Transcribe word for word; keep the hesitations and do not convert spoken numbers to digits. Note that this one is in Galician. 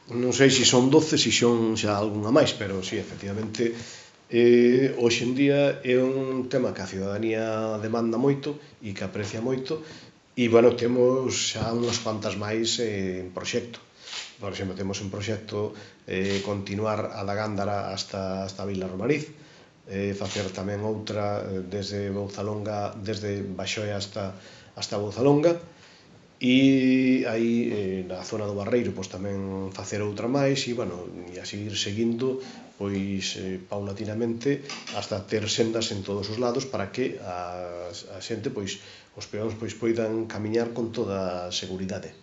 non sei se son doce, se son xa algunha máis, pero si, efectivamente, eh, hoxe en día é un tema que a ciudadanía demanda moito e que aprecia moito, e, bueno, temos xa unhas cuantas máis eh, en proxecto. Por exemplo, temos un proxecto eh, continuar a da Gándara hasta, hasta Vila Romariz, eh, facer tamén outra desde Bouzalonga, desde Baxoe hasta, hasta Bouzalonga, e aí eh, na zona do Barreiro pois tamén facer outra máis, e, bueno, e así ir seguindo pois eh, paulatinamente hasta ter sendas en todos os lados para que a, a xente, pois os peóns, pois poidan camiñar con toda a seguridade.